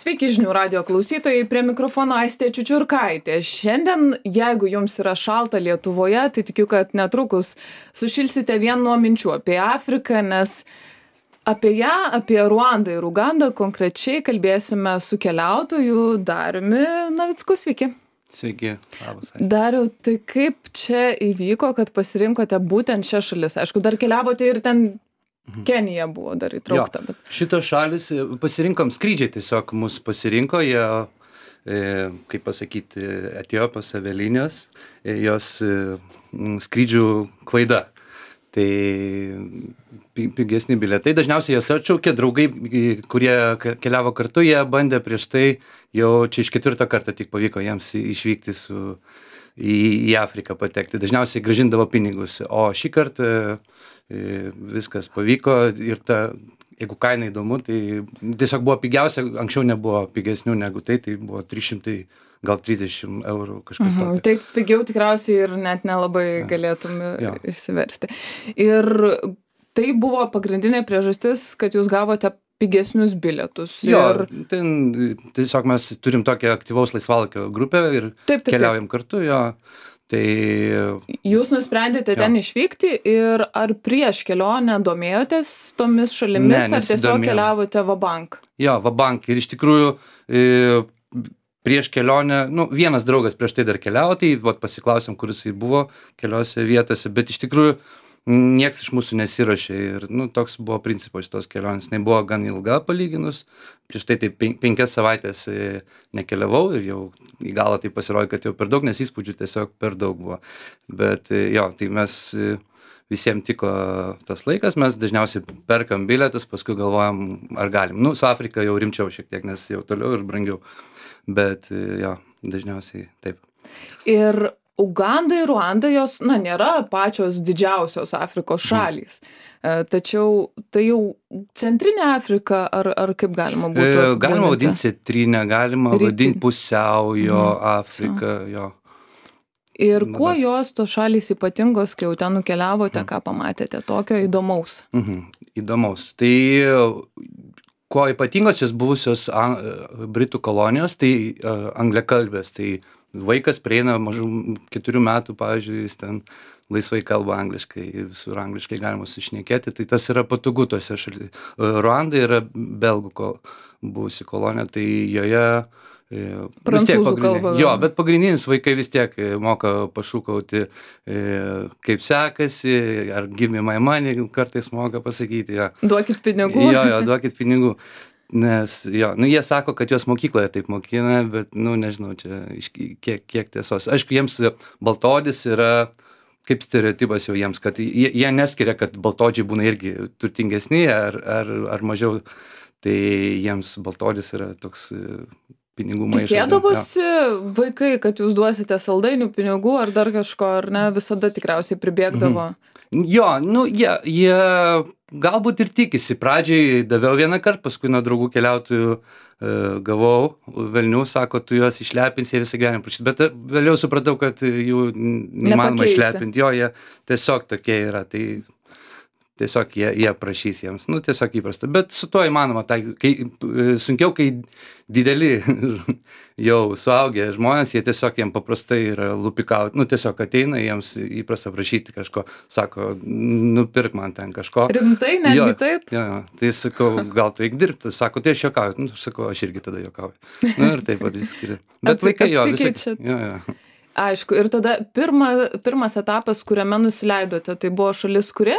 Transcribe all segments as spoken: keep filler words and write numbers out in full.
Sveiki žinių radijo klausytojai, prie mikrofono Aistė Čiučiurkaitė. Šiandien, jeigu jums yra šalta Lietuvoje, tai tikiu, kad netrukus sušilsite vien nuo minčių apie Afriką, nes apie ją, apie Ruandą ir Ugandą konkrečiai kalbėsime su keliautoju Dariumi Navicku. Sveiki. Sveiki, labas. Aistė. Dariau, tai kaip čia įvyko, kad pasirinkote būtent šią šalis? Aišku, dar keliavote ir ten Kenija buvo dar įtraukta. Jo, Bet... šitos šalis pasirinkom skrydžiai, tiesiog mus pasirinko, jie, e, kaip pasakyti, Etiopijos avialinijos, e, jos e, skrydžių klaida. Tai pigesni bilietai. Dažniausiai jas atšaukė draugai, kurie keliavo kartu, jie bandė prieš tai, jau čia iš ketvirto karto tik pavyko jiems išvykti su, į, į Afriką patekti. Dažniausiai grąžindavo pinigus, o šį kartą viskas pavyko ir ta, jeigu kaina įdomu, tai tiesiog buvo pigiausia, anksčiau nebuvo pigesnių negu tai, tai buvo trys šimtai, gal trisdešimt eurų kažkas mhm, tokio. Tai pigiau tikriausiai ir net nelabai ja. galėtum ja. įsiversti. Ir tai buvo pagrindinė priežastis, kad jūs gavote pigesnius bilietus. Jo, ir... ten tiesiog mes turim tokią aktyvaus laisvalaikio grupę ir taip, taip, keliaujam taip. kartu, jo. Tai... Jūs nusprendėte ten jo. išvykti ir ar prieš kelionę domėjotės tomis šalimis, ne, ar tiesiog keliavote vabank? Jo, vabank. Ir iš tikrųjų e, prieš kelionę, nu, vienas draugas prieš tai dar keliavo, tai vat, pasiklausėm, kur jisai buvo keliose vietose, bet iš tikrųjų nieks iš mūsų nesirašė ir nu, toks buvo principas šitos kelionės. Jis buvo gan ilga palyginus, prieš tai tai penkias savaitės nekeliavau ir jau į galą tai pasirodė, kad jau per daug, nes įspūdžių tiesiog per daug buvo. Bet jo, tai mes visiems tiko tas laikas, mes dažniausiai perkam bilietus, paskui galvojam, ar galim. Nu, su Afrika jau rimčiau šiek tiek, nes jau toliau ir brangiau, bet jo, dažniausiai taip. Ir Uganda ir Ruanda, jos, na, nėra pačios didžiausios Afrikos šalys. Mm. Tačiau tai jau centrinė Afrika, ar, ar kaip galima būtų? E, galima vadinti centrinę, galima Rytin. vadinti pusiaujo mm. Afriką, jo. Ir kuo Labas. jos tos šalys ypatingos, kai jau ten nukeliavote, mm. ką pamatėte tokio įdomaus? Mhm. Įdomaus. Tai kuo ypatingos jos buvusios an, Britų kolonijos, tai uh, angliakalbės, tai vaikas prieina mažų keturių metų, pavyzdžiui, jis ten laisvai kalba angliškai, visur angliškai galima sušnekėti, tai tas yra patogu tose šalyse. Ruanda yra belgų kol, buvusi kolonija, tai joje vis tiek kalba. Jo, bet pagrindinis vaikai vis tiek moka pašūkauti, kaip sekasi, ar give me my money, kartais moka pasakyti. Jo. Duokit pinigų. Jo, jo, duokit pinigų. Nes, jo, nu, jie sako, kad juos mokykloje taip mokina, bet, nu, nežinau, čia kiek, kiek tiesos. Aišku, jiems baltaodis yra kaip stereotipas jau jiems, kad jie, jie neskiria, kad baltaodžiai būna irgi turtingesni ar, ar, ar mažiau, tai jiems baltaodis yra toks pinigų maišas. Tikėdavosi vaikai, kad jūs duosite saldainių pinigų ar dar kažko, ar ne, visada tikriausiai pribėgdavo? Mhm. Jo, nu, jie, jie galbūt ir tikisi. Pradžiai daviau vieną kartą, paskui nuo draugų keliautojų e, gavau velnių, sako, tu juos išlepinsi, jie visą gyvenimą prašys. Bet vėliau supratau, kad jų neįmanoma išlepinti. Jo, jie tiesiog tokie yra. Tai tiesiog jie, jie prašys jiems. Nu, tiesiog įprasta. Bet su tuo įmanoma. Tai, kai, sunkiau, kai dideli jau suaugę žmonės, jie tiesiog jiems paprastai yra lupikauti. Nu, tiesiog ateina, jiems įprasta prašyti kažko. Sako, nupirk man ten kažko. Rimtai, netgi jo, taip? Jo, jo. Tai sakau, gal tu eik dirbti. Sako, tai aš jokauju. Nu, sakau, aš irgi tada jokauju. Nu, ir taip pat įskiria. Bet vaikai jo, visai. Jo, jo. Aišku, ir tada pirma, pirmas etapas, kuriame nusileidote, tai buvo šalis kurie?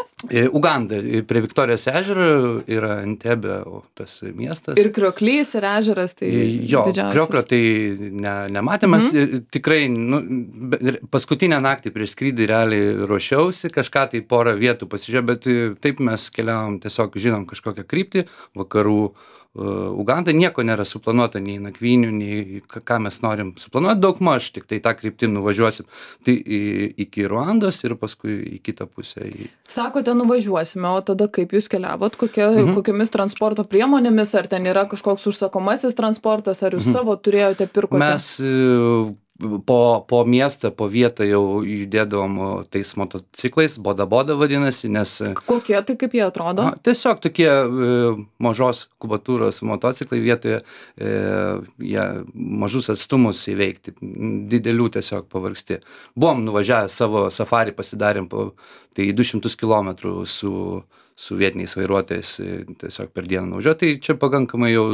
Uganda, prie Viktorijos ežero yra Entebė, tas miestas. Ir Krioklys, ir ežeras, tai jo, didžiausias. Krioklio tai ne, nematėmės, mhm. tikrai, nu, paskutinę naktį prieš skrydį realiai ruošiausi, kažką tai porą vietų pasižiūrėjau, bet taip mes keliavom, tiesiog žinom kažkokią kryptį, vakarų Uganda, nieko nėra suplanuota, nei nakvynių, nei ką mes norim suplanuoti, daug maž, tik tai tą kryptim nuvažiuosim. Tai iki Ruandos ir paskui į kitą pusę. Sakote, nuvažiuosime, o tada kaip jūs keliavot, kokia, mhm. kokiamis transporto priemonėmis, ar ten yra kažkoks užsakomasis transportas, ar jūs mhm. savo turėjote, pirkote? Mes po, po miestą, po vietą jau judėdavom tais motociklais, boda boda vadinasi, nes... Kokie tai, kaip jie atrodo? A, tiesiog tokie e, mažos kubatūros motociklai vietoje, e, jie mažus atstumus įveikti, didelių tiesiog pavargsti. Buvom nuvažiavę savo safari, pasidarėm po tai du šimtus kilometrų su, su vietiniais vairuotojais, tiesiog per dieną nuvažiuoti, tai čia pakankamai jau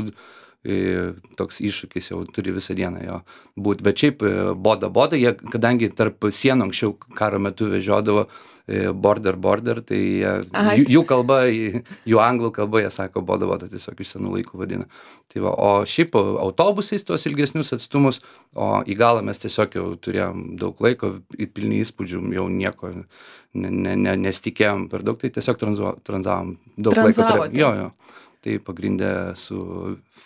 toks iššūkis, jau turi visą dieną jo būt. Bet šiaip boda boda, jie, kadangi tarp sienų anksčiau karo metu vežiodavo border border, tai jie, jų, jų kalba, jų anglų kalba, jie sako boda boda, tiesiog iš senų laikų vadina. Tai va, o šiaip autobusais tuos ilgesnius atstumus, o į galą mes tiesiog jau turėjom daug laiko, pilni įspūdžių, jau nieko ne, ne, ne, nesitikėjom per daug, tai tiesiog tranzavom daug laiko. Jo, jo. Tai pagrindė su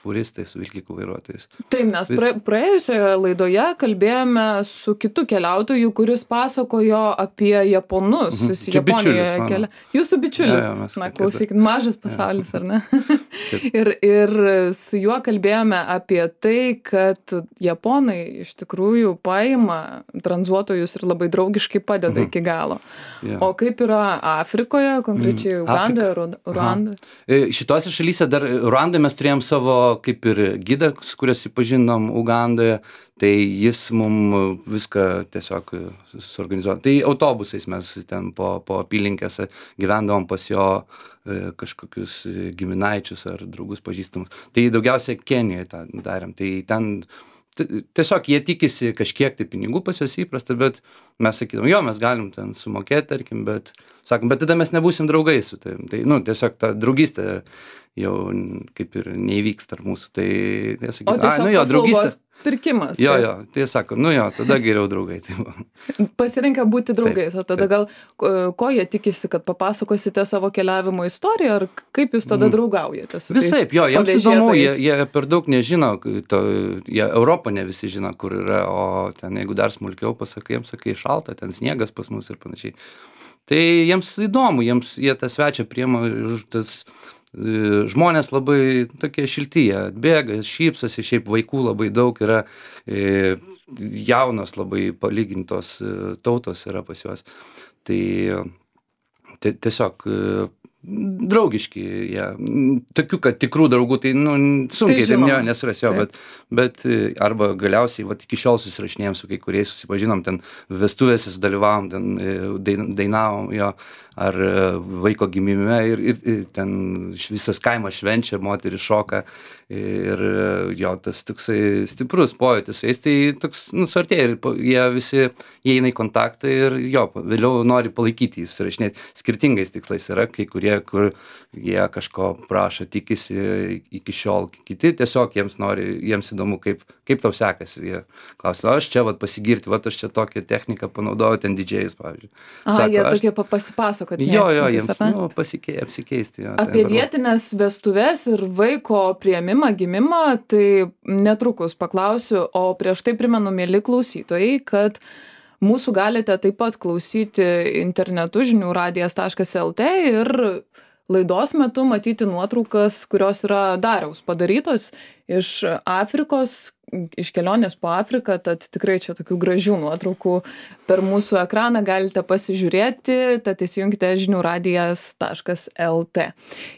furistais, su vilkikų vairuotojais. Taip, mes pra, praėjusioje laidoje kalbėjome su kitu keliautoju, kuris pasakojo apie japonus. Mhm. Jis Japonijoje kelia. Jūsų bičiulis. Ja, ja, Na, klausykit, mažas pasaulis, ja. Ar ne? ir, ir su juo kalbėjome apie tai, kad japonai iš tikrųjų paima tranzuotojus ir labai draugiškai padeda mhm. iki galo. Ja. O kaip yra Afrikoje, konkrečiai Uganda, Ruanda? Šitose šalyse dar Ruandai mes turėjom savo kaip ir gidą, su kuriuo susipažinom Ugandoje, tai jis mum viską tiesiog suorganizuoja. Tai autobusais mes ten po, po apylinkėse gyvendavom pas jo e, kažkokius giminaičius ar draugus pažįstamus. Tai daugiausiai Kenijoje tą darėm. Tai ten tiesiog jie tikisi kažkiek tai pinigų pas juos įprasta, bet mes sakydom, jo, mes galim ten sumokėti, tarkim, bet sakom, bet tada mes nebūsim draugai su tai. Tai, nu, tiesiog ta draugystė jau kaip ir neįvyks tarp mūsų. Tai, tai sakydom, o tiesiog nu, jo, draugystė pirkimas. Jo, jo, tai sako, nu jo, tada geriau draugai. Tai pasirenka būti draugais, taip, o tada taip. Gal ko jie tikisi, kad papasakosite savo keliavimo istoriją, ar kaip jūs tada draugaujate su tais? Visaip, jo, jiems įdomu, jie, jie per daug nežino, to, jie Europą ne visi žino, kur yra, o ten jeigu dar smulkiau pasakai, jiems sakai šalta, ten sniegas pas mus ir panašiai. Tai jiems įdomu, jiems jie tą svečią priema, tas žmonės labai tokie šilti, jie bėga, šypsosi, šiaip vaikų labai daug yra, e, jaunos labai palygintos tautos yra pas juos. Tai tai tiesiog draugiški jie. Tokių, kad tikrų draugų, tai nu, sunkiai tai ne, nesuras jo, bet, bet arba galiausiai, va, iki šiol susirašinėjom su kai kuriais, susipažinom, ten vestuvėse sudalyvavom, ten dainavom jo, ar vaiko gimime ir, ir, ir ten visas kaimas švenčia, moteris šoka ir jo, tas toksai stiprus pojūtis, jais tai toks, nu, suartėja ir jie visi įeina į kontaktą ir jo, vėliau nori palaikyti, susirašinėti skirtingais tikslais yra, kai kurie, kur jie kažko prašo, tikisi iki šiol, kiti tiesiog jiems nori, jiems įdomu, kaip, kaip tau sekasi, jie klausia, aš čia vat pasigirti, vat aš čia tokią techniką panaudoju, ten didžėjus, pavyzdžiui. A, Sako, jie tokie pasipasakoti. Jo, jo, jiems, nu, pasikei, apsikeisti. Jo, apie vietinės vestuves ir vaiko priėmimą, gimimą, tai netrukus paklausiu, o prieš tai primenu, mieli klausytojai, kad mūsų galite taip pat klausyti internetu žinių radijas taškas lt ir laidos metu matyti nuotraukas, kurios yra Dariaus padarytos iš Afrikos, iš kelionės po Afriką, tad tikrai čia tokių gražių nuotraukų per mūsų ekraną galite pasižiūrėti, tad įsijunkite žinių radijas taškas lt.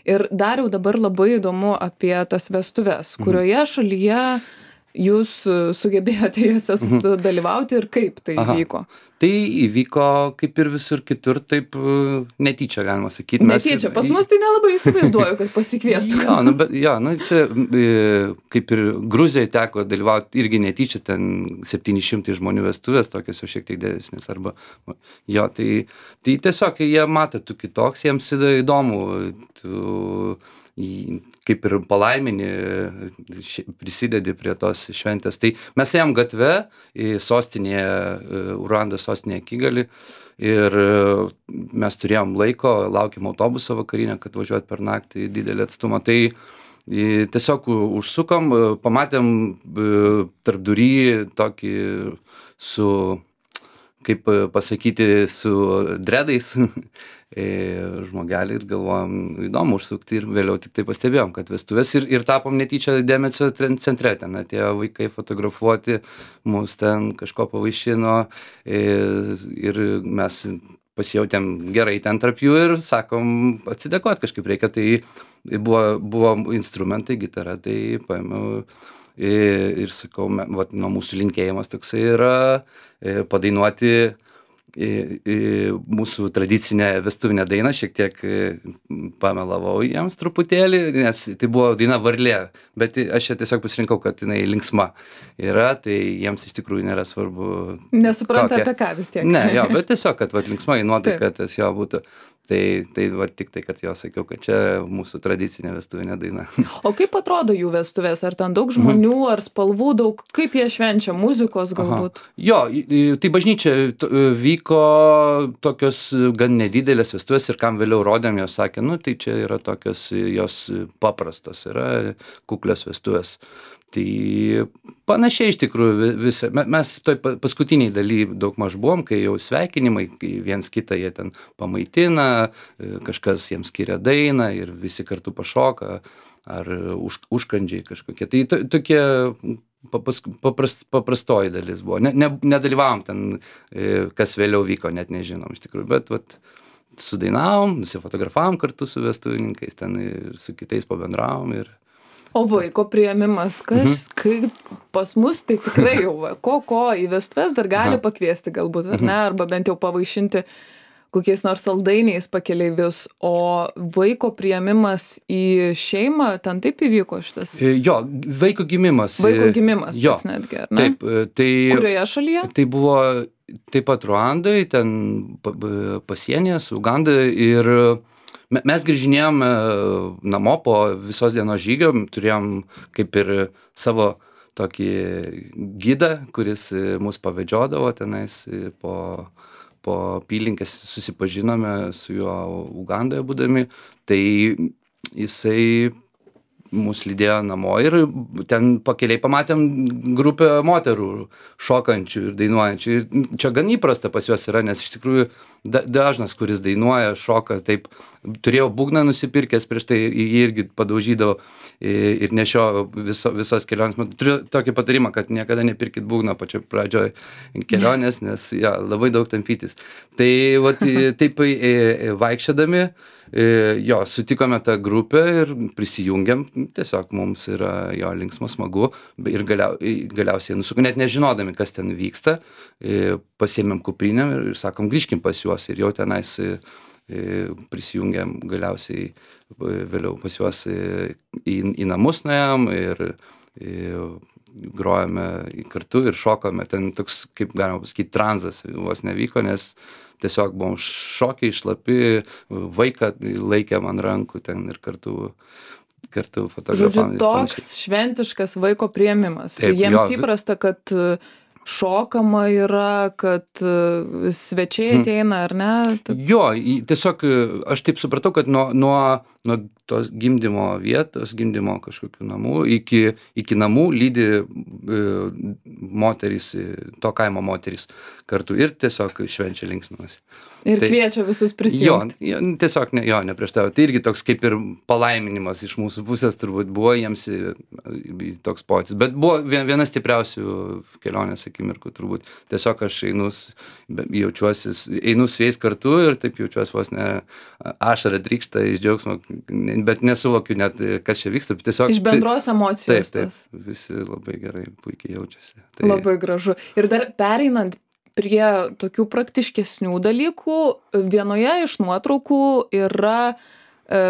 Ir Dariau, dabar labai įdomu apie tas vestuves, kurioje šalyje jūs sugebėjote jose dalyvauti ir kaip tai Aha. įvyko? Tai įvyko kaip ir visur kitur, taip netyčia, galima sakyti. Netyčia, pas mus tai nelabai įsivaizduoju, kad pasikviestų. Jo, nu, bet, jo, nu, čia kaip ir Gruzijai teko dalyvauti irgi netyčia, ten septyni šimtai žmonių vestuvės, tokios jau šiek tiek didesnės. Arba, jo, tai, tai tiesiog jie mato, tu kitoks, jiems įdomu, tu kaip ir palaimini, prisidedi prie tos šventės. Tai mes ėjom gatve į sostinėje, Ruandos sostinėje Kigali ir mes turėjom laiko, laukėm autobusą vakarinę, kad važiuot per naktį didelį atstumą. Tai tiesiog užsukom, pamatėm tarpdury tokį su kaip pasakyti, su dredais žmogelį ir galvojom, įdomu užsukti ir vėliau tik tai pastebėjom, kad vestuvės ir, ir tapom netyčia dėmesio centre, ten atėjo vaikai fotografuoti, mus ten kažko pavaišino ir, ir mes pasijautėm gerai ten tarp jų ir sakom, atsidėkot kažkaip reikia, tai buvo, buvo instrumentai, gitara, tai paėmiau ir, ir sakau, vat, nuo mūsų linkėjimas toksai yra padainuoti į, į mūsų tradicinę vestuvinę dainą, šiek tiek pamelavau jiems truputėlį, nes tai buvo daina Varlė, bet aš čia tiesiog pasirinkau, kad jinai linksma yra, tai jiems iš tikrųjų nėra svarbu. Nesupranta kokia. Apie ką vis tiek. Ne, jo, bet tiesiog, kad vat, linksma į nuotaiką, kad tas jo būtų. Tai, tai va, tik tai, kad jo sakiau, kad čia mūsų tradicinė vestuvinė daina. O kaip atrodo jų vestuvės? Ar ten daug žmonių, mhm. ar spalvų daug? Kaip jie švenčia? Muzikos galbūt? Aha. Jo, tai bažnyčia vyko tokios gan nedidelės vestuvės ir kam vėliau rodėm, jos sakė, nu tai čia yra tokios, jos paprastos, yra kuklios vestuvės. Tai panašiai iš tikrųjų visą, mes toj paskutiniai daly daug maž buvom, kai jau sveikinimai, kai viens kitą jie ten pamaitina, kažkas jiems skiria dainą ir visi kartu pašoka, ar už, užkandžiai kažkokie. Tai to, tokie papas, paprast, paprastoji dalis buvo. Ne, ne, nedalyvavom ten, kas vėliau vyko, net nežinom iš tikrųjų, bet vat, sudainavom, nusifotografavom kartu su vestuvininkais, ten ir su kitais pabendravom ir O vaiko priėmimas, kas, mhm. kaip pas mus, tai tikrai jau ko, ko į vestuves dar gali pakviesti galbūt, ar ne, arba bent jau pavaišinti kokiais nors saldainiais pakeleivius, o vaiko priėmimas į šeimą, ten taip įvyko šitas? Jo, vaiko gimimas. Vaiko gimimas jo, pats netgi, ar ne? Taip, tai... Kurioje šalyje? Tai buvo taip pat Ruandai, ten pasienyje su Uganda ir... Mes grįžinėjom namo po visos dienos žygio, turėjom kaip ir savo tokį gidą, kuris mus pavedžiodavo tenais po, po apylinkes, susipažinome su juo Ugandoje būdami, tai jisai mus lydėjo namo ir ten pakeliai pamatėm grupę moterų šokančių ir dainuojančių. Ir čia gan įprasta pas juos yra, nes iš tikrųjų da, dažnas, kuris dainuoja, šoka, taip, turėjau būgną nusipirkęs prieš tai, jį irgi padaužydavo ir nešio viso, visos kelionės. Turiu tokį patarimą, kad niekada nepirkit būgną pačioj pradžioj kelionės, nes ja, labai daug tampytis. Tai vat, taip vaikščiodami, jo, sutikome tą grupę ir prisijungiam, tiesiog mums yra jo linksma, smagu ir galiau, galiausiai nusukų, net nežinodami, kas ten vyksta, pasiėmėm kuprinę ir sakom, grįžkim pas juos ir jau tenais prisijungiam galiausiai vėliau pas juos į, į namus nuėjom ir, ir grojame kartu ir šokome, ten toks, kaip galima pasakyti, tranzas vos nevyko, nes tiesiog buvom šokiai, šlapi, vaiką laikėm ant rankų ten ir kartu, kartu fotografavom. Žodžiu, toks šventiškas vaiko priėmimas. Taip, jiems jo, įprasta, kad šokama yra, kad svečiai ateina, ar ne? Taip. Jo, tiesiog aš taip supratau, kad nuo, nuo, nuo tos gimdymo vietos, gimdymo kažkokių namų, iki, iki namų lydi e, moterys, to kaimo moterys kartu ir tiesiog švenčia linksminasi. Ir tai, kviečia visus prisijungti. Jo, tiesiog ne, jo, neprieštarauja. Tai irgi toks kaip ir palaiminimas iš mūsų pusės turbūt buvo jiems toks pojūtis. Bet buvo viena stipriausių kelionės akimirkų turbūt. Tiesiog aš einu, jaučiuosi, einu su jais kartu ir taip jaučiuosi vos ne ašara trykšta iš džiaugsmo, bet nesuvokiu net, kas čia vyksta. Tiesiog, iš bendros emocijos. Taip, taip, visi labai gerai, puikiai jaučiasi. Tai... Labai gražu. Ir dar pereinant prie tokių praktiškesnių dalykų, vienoje iš nuotraukų yra e,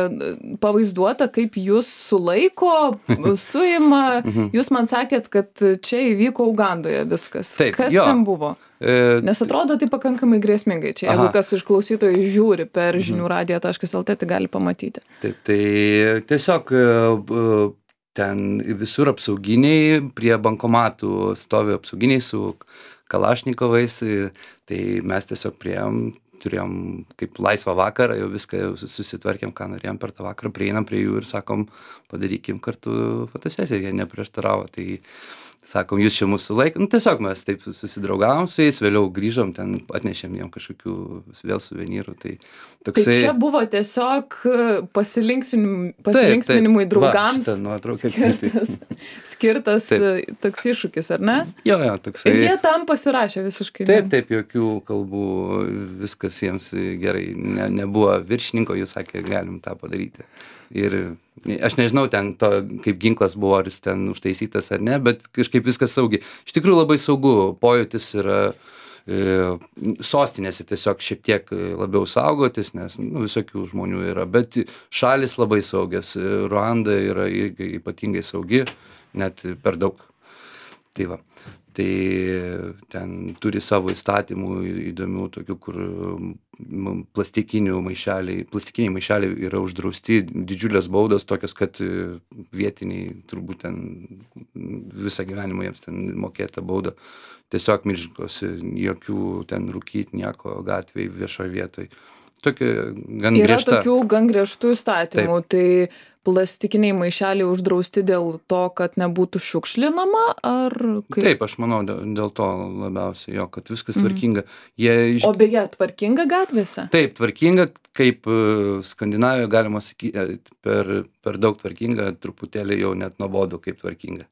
pavaizduota, kaip jūs sulaiko, suima. Jūs man sakėt, kad čia įvyko Ugandoje viskas. Taip, kas jo. ten buvo? E... Nes atrodo tai pakankamai grėsmingai. Čia, jeigu Aha. kas iš klausytojų žiūri per žinių radiją taškas el tė, tai gali pamatyti. Taip, tai tiesiog ten visur apsauginiai, prie bankomatų stovi apsauginiai su kalašnikovais, tai mes tiesiog priėjom, turėjom kaip laisvą vakarą, jau viską jau susitvarkėm, ką norėjom per tą vakarą, prieinam prie jų ir sakom, padarykim kartu fotosesiją, jie neprieštaravo. Tai, sakom, jūs čia mūsų laiką. Nu, tiesiog mes taip susidraugavom su jais, vėliau grįžom, ten atnešėm jiem kažkokių vėl suvenyrų. Tai, toksai... tai čia buvo tiesiog pasilinksminimui, pasilinksminimui draugams Va, nuotrauka, skirtas, skirtas taip. Toks iššūkis, ar ne? Jo, jo, toksai. Ir jie tam pasirašė visiškai. Taip, taip, jokių kalbų, viskas jiems gerai. Ne, nebuvo viršininko, jūs sakė, galim tą padaryti. Ir aš nežinau ten to, kaip ginklas buvo, ar jis ten užtaisytas ar ne, bet kažkaip viskas saugiai. Iš tikrųjų labai saugu, pojūtis yra e, sostinėse tiesiog šiek tiek labiau saugotis, nes nu, visokių žmonių yra, bet šalis labai saugias, Ruanda yra irgi ypatingai saugi, net per daug. Tai va. Tai ten turi savo įstatymų įdomių, tokių, kur plastikinių maišeliai, plastikiniai maišeliai yra uždrausti, didžiulės baudos, tokios, kad vietiniai turbūt ten visą gyvenimą jiems ten mokėta bauda. Tiesiog milžininkos, jokių ten rūkyt, nieko gatvėj, viešoje vietoje. Tokia gan yra griežta. Tokių gan griežtų įstatymų, Taip. tai plastikiniai maišeliai uždrausti dėl to, kad nebūtų šiukšlinama, ar kaip? Taip, aš manau, dėl to labiausiai, jo, kad viskas tvarkinga. Jie iš... O beje, tvarkinga gatvėse? Taip, tvarkinga, kaip Skandinavijoje galima sakyti, per, per daug tvarkinga, truputėlį jau net nuobodu kaip tvarkinga.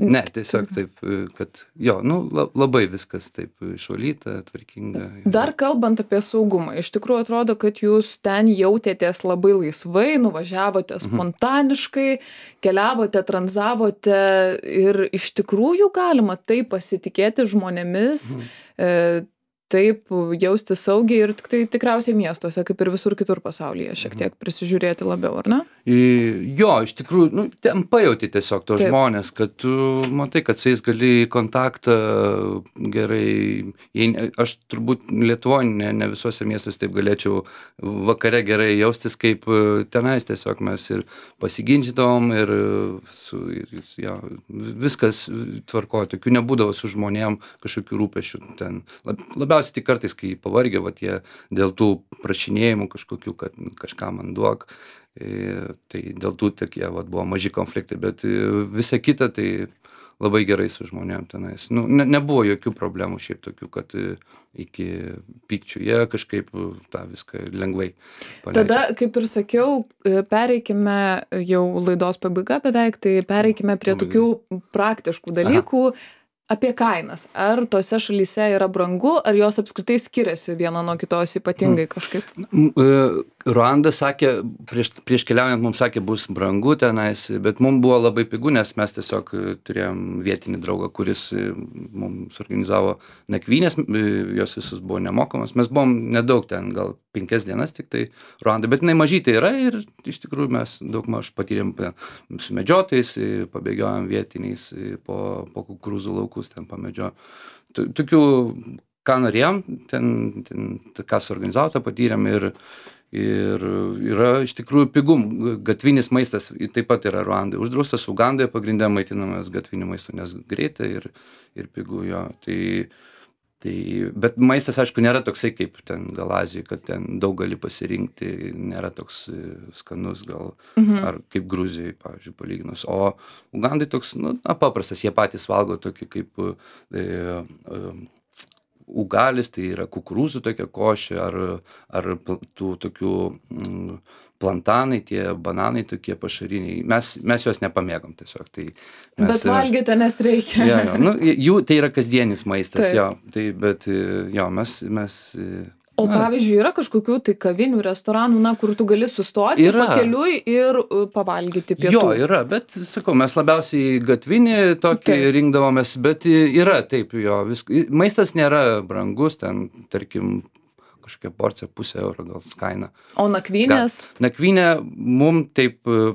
Ne, tiesiog taip, kad jo, nu, labai viskas taip išvalyta, tvarkinga. Dar kalbant apie saugumą, iš tikrųjų atrodo, kad jūs ten jautėtės labai laisvai, nuvažiavote spontaniškai, keliavote, tranzavote ir iš tikrųjų galima taip pasitikėti žmonėmis, Mhm. e, taip jausti saugiai ir tik tai tikriausiai miestuose, kaip ir visur kitur pasaulyje, šiek tiek prisižiūrėti labiau, ar ne? Jo, iš tikrųjų, nu, ten pajauti tiesiog tos Taip. žmonės, kad tu matai, kad su jais gali į kontaktą gerai, jei, ne- aš turbūt Lietuvoje ne, ne visuose miestuose taip galėčiau vakare gerai jaustis, kaip e, tenais tiesiog mes ir pasiginčydavom ir, su, ir jo, viskas tvarkojo, tokių nebūdavo su žmonėm kažkokių rūpešių ten. Lab, labiausiai tik kartais, kai pavargė, vat jie dėl tų prašinėjimų kažkokių, kad kažką man duok. E, tai dėl tų tokie vat, buvo maži konfliktai, bet e, visa kita tai labai gerai su žmonėm tenais. Nu, ne, nebuvo jokių problemų šiaip tokių, kad e, iki pykčių jie kažkaip e, tą viską lengvai paleidžia. Tada, kaip ir sakiau, e, pereikime jau laidos pabaiga beveik, tai pereikime prie Labai tokių praktiškų dalykų. Apie kainas. Ar tose šalyse yra brangu, ar jos apskritai skiriasi viena nuo kitos ypatingai kažkaip? M- e, Ruanda sakė, prieš, prieš keliaujant mums sakė, bus brangu tenais, bet mums buvo labai pigu, nes mes tiesiog e, turėjom vietinį draugą, kuris e, mums organizavo nakvynės, e, jos visus buvo nemokamos. Mes buvom nedaug ten, gal penkias dienas tik tai Ruanda, bet jinai mažytė yra ir iš tikrųjų mes daug maž patyrėm e, su medžiotojais, e, pabėgiojom vietiniais e, po, po kukurūzų laukus ten pamedžio. Tu- Tokių, ką norėjom, ten, ten t- ką suorganizavo, tą patyrėm ir Ir yra iš tikrųjų pigu, gatvinis maistas taip pat yra Ruandai uždraustas, Ugandoje pagrindė maitinamas gatviniu maistu, nes greitai ir, ir pigu jo. Tai, tai, bet maistas, aišku, nėra toksai kaip ten gal Azijoje, kad ten daug gali pasirinkti, nėra toks e, skanus gal, Mhm. ar kaip Gruzijoje, pavyzdžiui, palyginus. O Ugandai toks, nu, na, paprastas, jie patys valgo tokį kaip e, e, ugalis, tai yra kukurūzų tokia košė, ar, ar pl- tų tokių mm, plantanai, tie bananai tokie pašariniai. Mes, mes juos nepamėgom tiesiog. Tai mes, Bet valgyti, nes reikia. Jo, jo, nu, jų tai yra kasdienis maistas, Taip. jo. Tai, bet jo, mes, mes O na, pavyzdžiui, yra kažkokių tai kavinių, restoranų, na, kur tu gali sustoti Yra. pakeliui ir uh, pavalgyti pietų. Jo, yra, bet, sakau, mes labiausiai gatvinį tokį Taip. rinkdavomės, bet yra, taip, jo, vis, maistas nėra brangus, ten, tarkim, kažkokia porcija pusę euro gal kaina. O nakvynės? Nakvynė mum taip e,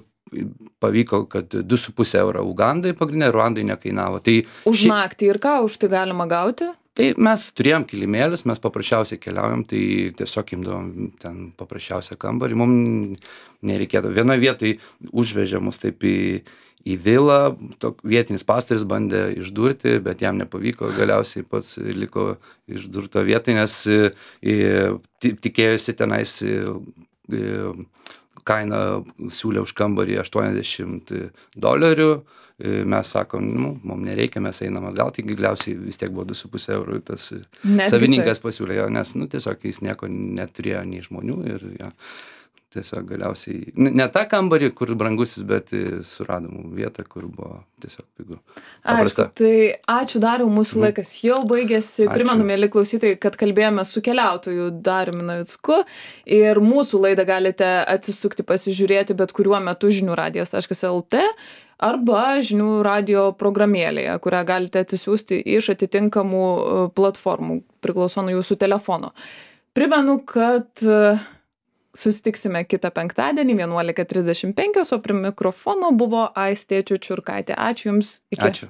pavyko, kad du su pusė euro Ugandai pagrindinė, Ruandai nekainavo. Tai, Už ši- naktį ir ką už tai galima gauti? tai mes turėjom kilimėlius, mes paprasčiausiai keliaujam, tai tiesiog imdavom ten paprasčiausią kambarį, mums nereikėtų. Vienoje vietoje užvežė mus taip į, į vilą, tok, vietinis pastorius bandė išdurti, bet jam nepavyko, galiausiai pats liko išdurto vietoj, nes e, e, ti- tikėjosi tenais e, e, kaina siūlė už kambarį aštuoniasdešimt dolerių, mes sakom, nu, mums nereikia, mes einam atgal, tai galiausiai vis tiek buvo du su puse eurų, tas Netgi savininkas taip. pasiūlė jo, nes, nu, tiesiog jis nieko neturėjo nei žmonių ir jo, tiesiog galiausiai, n- ne tą kambarį, kur brangusis, bet e, suradom vietą, kur buvo tiesiog pigu. Aišku, Paprasta. tai ačiū Dariau, mūsų Mhm. laikas jau baigėsi. Ačiū. Primenu, mėly klausytojai, kad kalbėjome su keliautoju Dariumi Navicku ir mūsų laidą galite atsisukti, pasižiūrėti bet kuriuo metu žinių radijas taškas lt arba žinių radijo programėlėje, kurią galite atsisiųsti iš atitinkamų e, platformų, priklauso nuo jūsų telefono. Primenu, kad e, susitiksime kitą penktadienį vienuolika trisdešimt penkios, o prie mikrofono buvo Aistė Čiučiurkaitė. Ačiū Jums. Iki. Ačiū.